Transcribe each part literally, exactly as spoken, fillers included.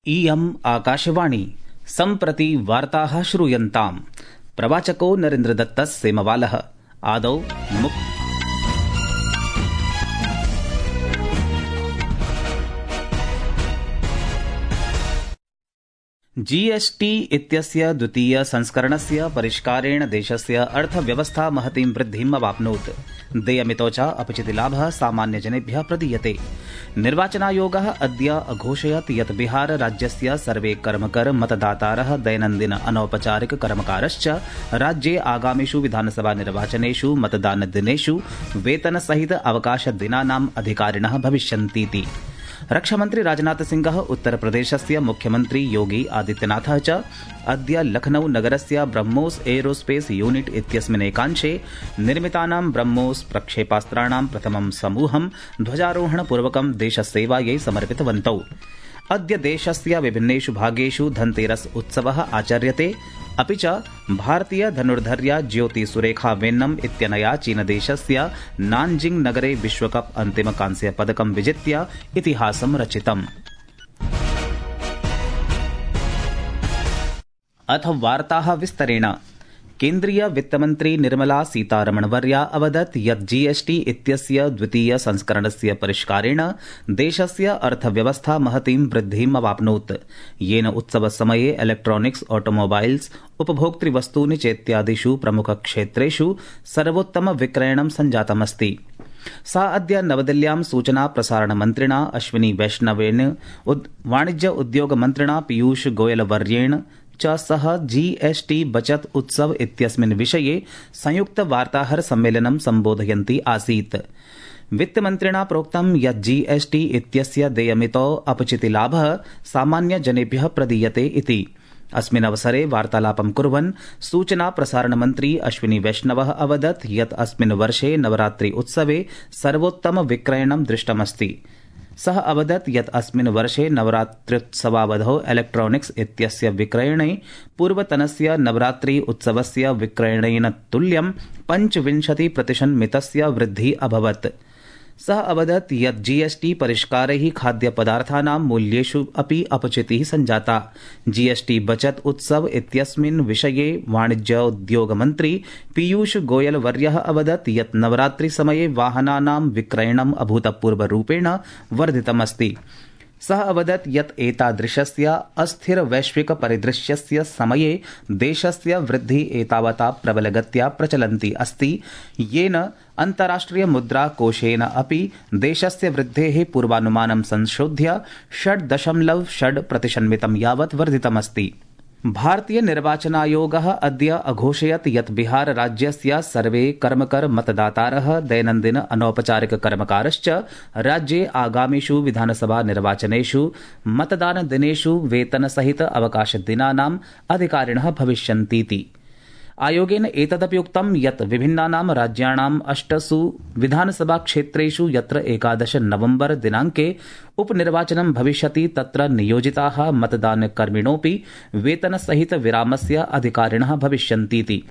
इयम् आकाशवाणी सम्प्रति वार्ताः श्रूयन्ताम्। प्रवाचको नरेन्द्रदत्तः सेमवालः। आदौ मुख्य जीएसटी इत्यस्य द्वितीय संस्करणस्य परिष्कारेण देशस्य अर्थव्यवस्था महतीं वृद्धिम् अवाप्नोत्। देयमितो च अपचितिलाभः सामान्यजनेभ्यः प्रदीयते। निर्वाचनायोगः अद्य अघोषयत् यत् बिहार राज्यस्य सर्वे कर्मकर मतदातारः दैनन्दिन अनौपचारिक कर्मकारश्च राज्ये आगामिषु विधानसभा निर्वाचनेषु मतदानदिनेषु वेतनसहित अवकाशदिनानाम् अधिकारिणः भविष्यन्तीति। रक्षामन्त्री राजनाथ सिंहः उत्तरप्रदेशस्य मुख्यमन्त्री योगी आदित्यनाथः च अद्य लखनऊ नगरस्य ब्रह्मोस एरोस्पेस यूनिट इत्यस्मिन् एकांशे निर्मितानां ब्रह्मोस प्रक्षेपास्त्राणां प्रथमं समूहं ध्वजारोहणपूर्वकं देशसेवायै समर्पितवन्तौ। अद्य देशस्य विभिन्नेषु भागेषु धनतेरस उत्सवः आचर्यते। अपि च भारतीय धनुर्धर्या ज्योति सुरेखा वेन्नम इत्यनया चीनदेशस्य नानजिंग नगरे विश्वकप अन्तिम कांस्य पदकं विजित्य इतिहासं रचितम्। अथ वार्ताः विस्तरेण। केन्द्रीय वित्तमन्त्री निर्मला सीतारमणवर्या अवदत् यत् जीएसटी इत्यस्य द्वितीय संस्करणस्य परिष्कारेण देशस्य अर्थव्यवस्था महतीं वृद्धिम् अवाप्नोत्, येन उत्सवसमये इलेक्ट्रॉनिक्स, ऑटोमोबाइल्स, उपभोक्तृवस्तूनि चेत्यादिषु प्रमुखक्षेत्रेषु सर्वोत्तम विक्रयणं सञ्जातमस्ति। सा अद्य नवदिल्ल्यां सूचना प्रसारणमन्त्रिणा अश्विनी वैष्णवेन, वाणिज्य उद्योग मन्त्रिणा पीयूष गोयलवर्येण च सह जीएसटी बचत उत्सव इत्यस्मिन् विषये संयुक्त वार्ताहर सम्मेलनं सम्बोधयन्ती आसीत्। वित्तमन्त्रिणा प्रोक्तं यत् जीएसटी इत्यस्य देयमितो अपचितिलाभः सामान्यजनेभ्यः प्रदीयते इति। अस्मिन् अवसरे वार्तालापं कुर्वन् सूचना प्रसारणमन्त्री अश्विनी वैष्णवः अवदत् यत् अस्मिन् वर्षे नवरात्रि उत्सवे सर्वोत्तम विक्रयणं दृष्टमस्ति। सः अवदत् यत् अस्मिन् वर्षे नवरात्र्युत्सवावधौ इलेक्ट्रॉनिक्स इत्यस्य विक्रयणे पूर्वतनस्य नवरात्रि उत्सवस्य विक्रयणेन तुल्यं पञ्चविंशति प्रतिशन्मितस्य वृद्धिः अभवत्। सः अवदत् यत् जीएसटी परिष्कारैः खाद्यपदार्थानां मूल्येषु अपि अपचितिः सञ्जाता। जीएसटी बचत उत्सव इत्यस्मिन् विषये वाणिज्योद्योगमन्त्री पीयूष गोयल वर्यः अवदत् यत् नवरात्रिसमये वाहनानां विक्रयणम् अभूतपूर्वरूपेण वर्धितमस्ति। सः अवदत् यत् एतादृशस्य अस्थिर वैश्विक परिदृश्यस्य समये देशस्य वृद्धिः एतावता प्रबलगत्या प्रचलन्ती अस्ति, येन अन्ताराष्ट्रिय मुद्रा कोषेन अपि देशस्य वृद्धेः पूर्वानुमानं संशोध्य षड् दशमलव षड् प्रतिशन्मितं यावत् वर्धितमस्ति। भारतीय निर्वाचनायोगः अद्य अघोषयत् यत् बिहार राज्यस्य सर्वे कर्मकर मतदातारः दैनन्दिन अनौपचारिक कर्मकारश्च राज्ये आगामिषु विधानसभा निर्वाचनेषु मतदानदिनेषु वेतनसहित अवकाशदिनानाम् अधिकारिणः भविष्यन्तीति। आयोगेन एतदपि उक्तं यत् विभिन्नानां राज्याणाम् अष्टसु विधानसभा क्षेत्रेषु यत्र एकादश नवम्बर दिनाङ्के उपनिर्वाचनं भविष्यति तत्र नियोजिताः मतदानकर्मिणोऽपि वेतनसहित विरामस्य अधिकारिणः भविष्यन्तीति।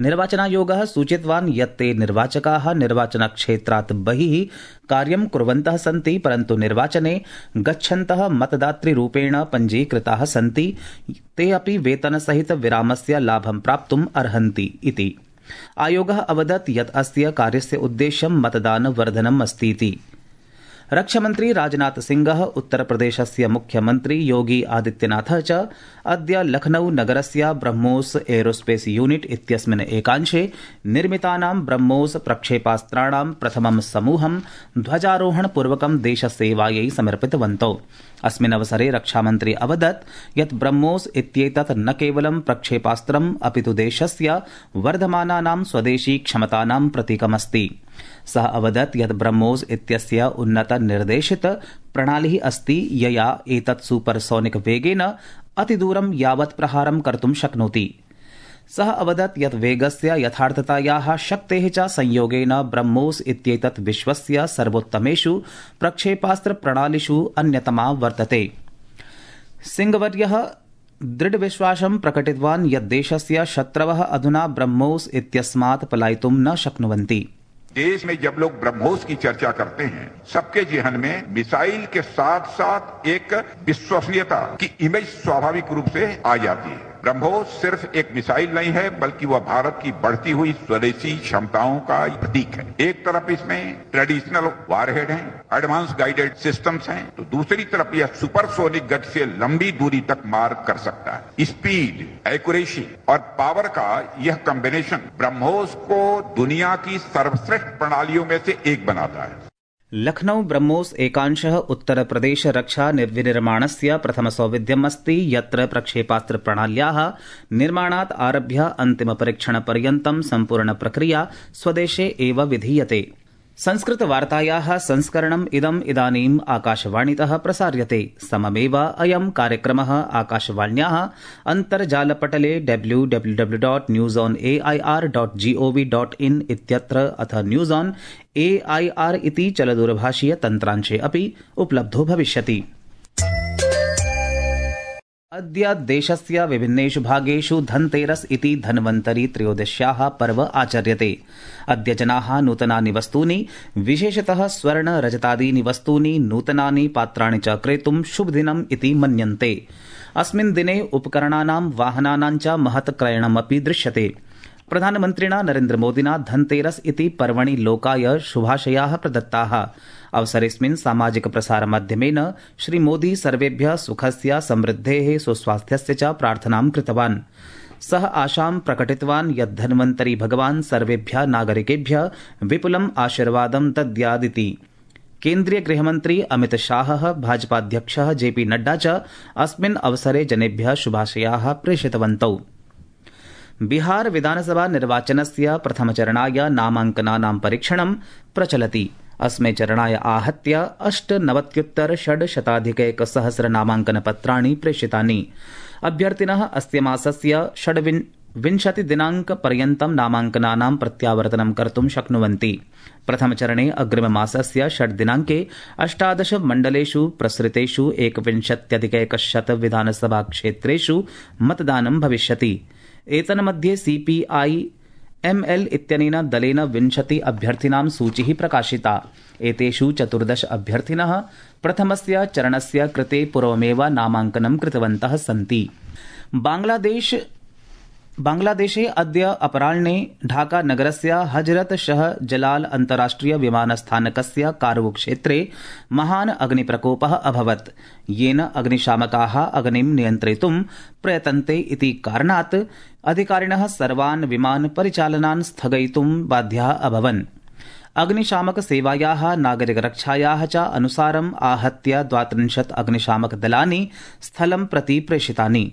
निर्वाचनायोगः सूचितवान् यत् ते निर्वाचकाः निर्वाचनक्षेत्रात् बहिः कार्यं कुर्वन्तः सन्ति, परन्तु निर्वाचने गच्छन्तः मतदातृरूपेण पञ्जीकृताः सन्ति, ते अपि वेतनसहित विरामस्य लाभं प्राप्तुम् अर्हन्ति इति। आयोगः अवदत् यत् अस्य कार्यस्य उद्देश्यं मतदानवर्धनम् अस्तीति। रक्षामन्त्री राजनाथ सिंहः उत्तरप्रदेशस्य मुख्यमन्त्री योगी आदित्यनाथः च अद्य लखनऊ नगरस्य ब्रह्मोस एरोस्पेस यूनिट इत्यस्मिन् एकांशे निर्मितानां ब्रह्मोस प्रक्षेपास्त्राणां प्रथमं समूहं ध्वजारोहणपूर्वकं देशसेवायै समर्पितवन्तौ। अस्मिन् अवसरे रक्षामन्त्री अवदत् यत् ब्रह्मोस इत्येतत् न केवलं प्रक्षेपास्त्रम् अपितु देशस्य वर्धमानानां स्वदेशी क्षमतानां प्रतीकमस्ति। सः अवदत् यत् ब्रह्मोस इत्यस्य उन्नत निर्देशित प्रणालिः अस्ति, यया एतत् सुपरसोनिक वेगेन अतिदूरं यावत् प्रहारं कर्तुं शक्नोति। सः अवदत् यत् वेगस्य यथार्थतायाः शक्तेः च संयोगेन ब्रह्मोस इत्येतत् विश्वस्य सर्वोत्तमेषु प्रक्षेपास्त्रप्रणालिषु अन्यतमा वर्तते। सिंहवर्यः दृढविश्वासं प्रकटितवान् यत् देशस्य शत्रवः अधुना ब्रह्मोस इत्यस्मात् पलायितुं न शक्नुवन्ति। देश में जब लोग ब्रह्मोस की चर्चा करते हैं, सबके जहन में मिसाइल के साथ साथ एक विश्वसनीयता की इमेज स्वाभाविक रूप से आ जाती है। ब्रह्मोस सिर्फ एक मिसाइल नहीं है, बल्कि वह भारत की बढ़ती हुई स्वदेशी क्षमताओं का प्रतीक है। एक तरफ इसमें ट्रेडिशनल वारहेड हैं, एडवांस गाइडेड सिस्टम्स हैं, तो दूसरी तरफ यह सुपरसोनिक गति से लंबी दूरी तक मार कर सकता है। स्पीड, एक्यूरेसी और पावर का यह कॉम्बिनेशन ब्रह्मोस को दुनिया की सर्वश्रेष्ठ प्रणालियों में से एक बनाता है। लखनऊ ब्रह्मोस एकांशः उत्तर प्रदेश रक्षा विनिर्माणस्य प्रथम सौविध्यम् अस्ति, यत्र प्रक्षेपास्त्र प्रणाल्याः निर्माणात् आरभ्य अन्तिम परीक्षण पर्यन्तं सम्पूर्ण प्रक्रिया स्वदेशे एव विधीयते। संस्कृतवार्तायाः संस्करणम् इदम् इदानीम् आकाशवाणीतः प्रसार्यते। सममेव अयं कार्यक्रमः आकाशवाण्याः अन्तर्जालपटले W W W dot news on A I R dot G O V dot in इत्यत्र अथ news on A I R इति चलदूरभाषीय तन्त्रांशे अपि उपलब्धो भविष्यति। अद्य देशस्य विभिन्नेषु भागेषु धनतेरस इति धन्वन्तरी त्रयोदश्याः पर्व आचर्यते। अद्य जनाः नूतनानि वस्तूनि, विशेषतः स्वर्ण रजतादीनि वस्तूनि, नूतनानि पात्राणि च क्रेतुं शुभदिनम् इति मन्यन्ते। अस्मिन् दिने उपकरणानां, वाहनानां च महत् क्रयणमपि दृश्यते। प्रधानमन्त्रिणा नरेन्द्रमोदिना धनतेरस इति पर्वणि लोकाय शुभाशयाः प्रदत्ताः। अवसरेऽस्मिन् सामाजिक प्रसारमाध्यमेन श्रीमोदी सर्वेभ्यः सुखस्य, समृद्धेः, सुस्वास्थ्यस्य च प्रार्थनां कृतवान्। सः आशां प्रकटितवान् यत् धन्वन्तरी भगवान् सर्वेभ्यः नागरिकेभ्यः विपुलम् आशीर्वादं दद्यादिति। केन्द्रीय गृहमन्त्री अमित शाहः, भाजपाध्यक्षः जे पी नड्डा च अस्मिन् अवसरे जनेभ्यः शुभाशयाः प्रेषितवन्तौ। बिहार विधानसभा निर्वाचनस्य प्रथमचरणाय नामाङ्कनानां परीक्षणं प्रचलति। अस्मै चरणाय आहत्य अष्टनवत्युत्तर षड्शताधिकैकसहस्र नामाङ्कनपत्राणि प्रेषितानि। अभ्यर्थिनः अस्य मासस्य षड्विंशति दिनाङ्कपर्यन्तं नामाङ्कनानां प्रत्यावर्तनं कर्तुं शक्नुवन्ति। प्रथमचरणे अग्रिममासस्य षड् दिनाङ्के अष्टादश मण्डलेषु प्रसृतेषु एकविंशत्यधिकैकशत विधानसभा क्षेत्रेषु मतदानं भविष्यति। एतन्मध्ये सीपीआई एमएल इत्यनेन दलेन विंशति अभ्यर्थिनां सूचिः प्रकाशिता। एतेषु चतुर्दश अभ्यर्थिनः प्रथमस्य चरणस्य कृते पूर्वमेव नामाङ्कनं कृतवन्तः सन्ति। बांग्लादेश बांग्लादेशे अद्य अपराह्ने ढाका नगरस्य हजरत शाह जलाल अन्ताराष्ट्रिय विमानस्थानकस्य कारवू क्षेत्रे महान् अग्निप्रकोपः अभवत्, येन अग्निशामकाः अग्निं नियन्त्रितुं प्रयतन्ते इति कारणात् अधिकारिणः सर्वान् विमान परिचालनान् स्थगयितुं बाध्याः अभवन्। अग्निशामक सेवायाः, नागरिकरक्षायाः च अनुसारम् आहत्य द्वात्रिंशत् अग्निशामक दलानि स्थलं प्रति प्रेषितानि।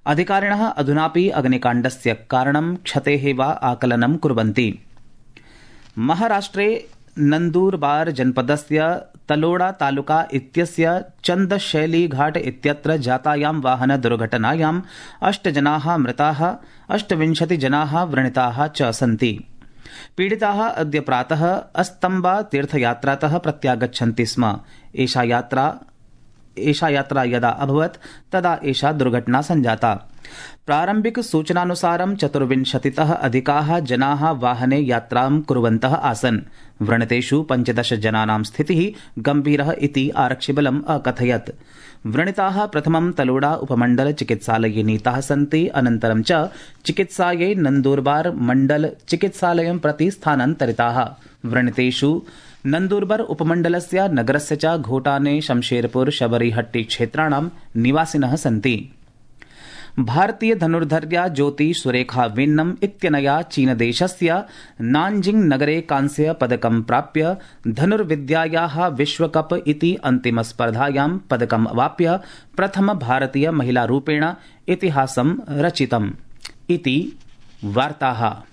अधिकारिणः अधुनापि अग्निकाण्डस्य कारणं, क्षतेः वा आकलनं कुर्वन्ति। महाराष्ट्रे नन्दूरबार जनपदस्य तलोड़ा तालुका इत्यस्य चन्दशैली घाट इत्यत्र जातायां वाहन दुर्घटनायां अष्ट जनाः मृताः, अष्टविंशति जनाः व्रणिताः च सन्ति। पीडिताः अद्य प्रातः अस्तम्बा तीर्थयात्रातः प्रत्यागच्छन्ति स्म। एषा यात्रा एषा यात्रा यदा अभवत् तदा एषा दुर्घटना सञ्जाता। प्रारम्भिक सूचनानुसारं चतुर्विंशतितः अधिकाः जनाः वाहने यात्रां कुर्वन्तः आसन्। व्रणितेषु पञ्चदश जनानां स्थितिः गम्भीरः इति आरक्षिबलम् अकथयत्। व्रणिताः प्रथमं तलोड़ा उपमण्डल चिकित्सालये नीताः सन्ति, अनन्तरं च चिकित्सायै नन्दूरबार मण्डल चिकित्सालयं प्रति स्थानान्तरिताः। व्रणितेषु नन्दूरबार उपमण्डलस्य, नगरस्य च घोटाने, शमशेरपुर, शबरीहट्टी क्षेत्राणां निवासिनः सन्ति। भारतीय धनुर्धर्या ज्योति सुरेखा वेन्नम इत्यनया चीनदेशस्य नानजिंग नगरे कांस्य पदकं प्राप्य धनुर्विद्यायाः विश्वकप इति अन्तिमस्पर्धायां पदकम् अवाप्य प्रथम भारतीय महिलारूपेण इतिहासं रचितम् इति वार्ताः।